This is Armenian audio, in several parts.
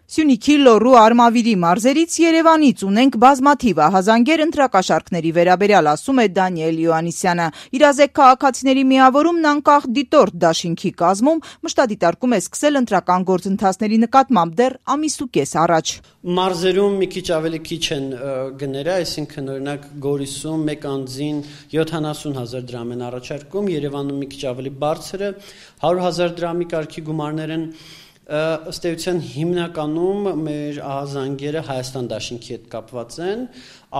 Սյունիքի, Լոռու, Արմավիրի մարզերից, Երևանից ունենք բազմաթիվ ահազանգեր ընտրակաշառքների վերաբերյալ, ասում է Դանիել Յոհաննիսյանը։ Իրազեկ քաղաքացիների միավորումն անկախ դիտորդ դաշինքի կազմում մշտադիտարկում է սկսել ընտրական գործընթացների նկատմամբ դեռ ամիսուկես առաջ։ Մարզերում մի քիչ ավելի քիչ են գները, այսինքն օրինակ Գորիսում մեկ անձին 70,000 դրամ են առաջարկում, Երևանում մի քիչ ավելի բարձր է, 100,000 դրամի կարգի գումարներ են։ Ըստ էության հիմնականում մեր ահազանգերը Հայաստան դաշինքի հետ կապված են,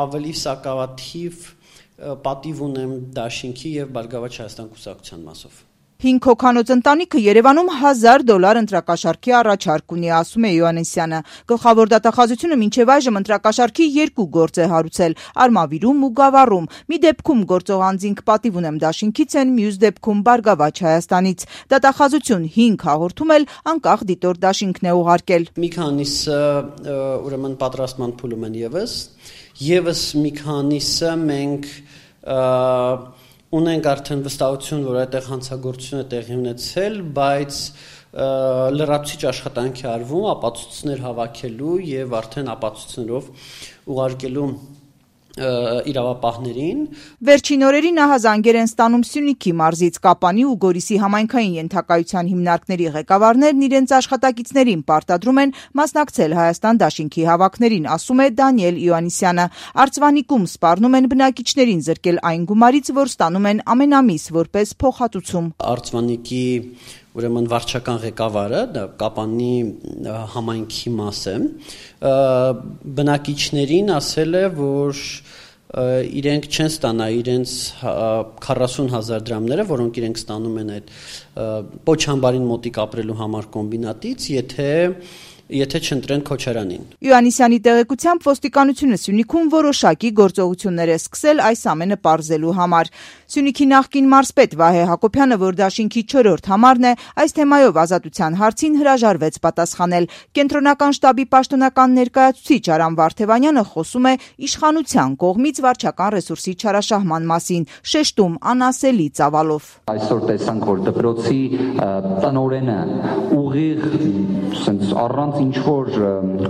ավելի սակավաթիվ պատիվ ունեմ դաշինքի եւ Բարգավաճ Հայաստան կուսակցության մասով։ 5 հոգանոց ընտանիքը Երևանում $1,000 ընտրակաշառքի առաջարկ ունի, ասում է Յոհաննիսյանը։ Գլխավոր դատախազությունը մինչև այժմ ընտրակաշառքի 2 գործ է հարուցել՝ Արմավիրում ու Գավառում։ Մի դեպքում գործող անձինք պատիվ ունեմ դաշինքից են, մյուս դեպքում Բարգավաճ Հայաստանից։ Դատախազություն 5 հաղորդում էլ անկախ դիտորդ դաշինքն է ուղարկել։ Մի քանիսը ուրեմն պատրաստման փուլում են եւս մի քանիսը մենք ունենք արդեն վստահություն, որ այդտեղ հանցագործություն է տեղի ունեցել, բայց լրացուցիչ աշխատանք է արվում ապացույցներ հավաքելու եւ արդեն ապացույցներով ուղարկելու իրավապահներին։ Վերջին օրերին ահազանգեր են ստանում Սյունիքի մարզից, Կապանի ու Գորիսի համայնքային ենթակայության հիմնարկների ղեկավարներն իրենց աշխատակիցներին պարտադրում են մասնակցել Հայաստան դաշինքի հավաքներին, ասում է Դանիել Յոհաննիսյանը։ Արծվանիկում սպառնում են բնակիչներին զրկել այն գումարից, որ ստանում են ամենամիս որպես փոխհատուցում։ Արծվանիկի ուրեմն վարչական ղեկավարը, դա Կապանի համայնքի մաս է, բնակիչներին ասել է, որ իրենք չեն ստանա իրենց 40,000 դրամները, որոնք իրենք ստանում են այդ Պոչամբարին մոտիկ ապրելու համար կոմբինատից, եթե չընտրեն Քոչարանին։ Յոհաննիսյանի տեղեկությամբ ոստիկանությունը Սյունիքում որոշակի գործողություններ է սկսել այս ամենը պարզելու համար։ Սյունիքի նախկին մարզպետ Վահե Հակոբյանը, որ դաշինքի 4-րդ համարն է, այս թեմայով Ազատության հարցին հրաժարվեց պատասխանել։ Կենտրոնական շտաբի պաշտոնական ներկայացուցիչ Արամ Վարդևանյանը խոսում է իշխանության կողմից վարչական ռեսուրսի չարաշահման մասին, շեշտում անասելի ծավալով։ Այսօր տեսանք, որ դպրոցի տնօրենը ուղիղ առանց ինչ-որ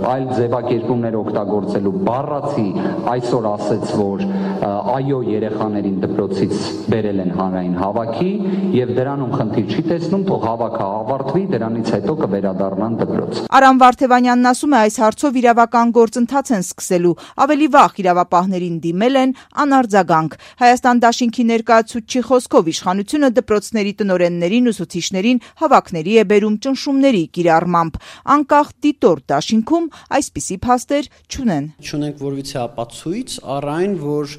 այլ ձևակերպումներ օգտագործելու բառացի այսօր ասեց, որ այո երեխաներին դպրոցից բերել են հանրային հավաքի եւ դրանում խնդիր չի տեսնում, թող հավաքը ավարտվի, դրանից հետո կվերադառնան դպրոց։ Արամ Վարդևանյանն ասում է, այս հարցով իրավական գործընթաց են սկսելու, ավելի վաղ իրավապահներին դիմել են անարձագանք։ Հայաստան դաշինքի ներկայացուցչի խոսքով իշխանությունը դպրոցների տնօրեններին, ուսուցիչներին հավաքների է բերում ճնշումների կիրառմամբ։ Անկախ դիտորդ դաշինքում այսպիսի փաստեր չունեն։ Չունենք որևիցե ապացույց առ այն, որ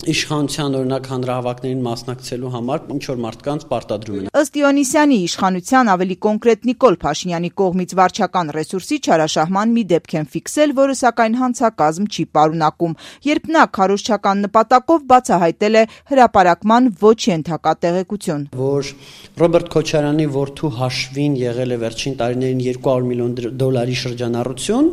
իշխանության օրինակ հանրահավաքներին մասնակցելու համար ինչ-որ մարդկանց պարտադրում են։ Ըստ Յոհաննիսյանի իշխանության ավելի կոնկրետ Նիկոլ Փաշինյանի կողմից վարչական ռեսուրսի չարաշահման մի դեպք են ֆիքսել, որը սակայն հանցակազմ չի պարունակում, երբ նա քարոզչական նպատակով բացահայտել է հրապարակման ոչ ենթակա տեղեկություն, որ Ռոբերտ Քոչարյանի որդու հաշվին եղել է վերջին տարիներին $200 միլիոն շրջանառություն։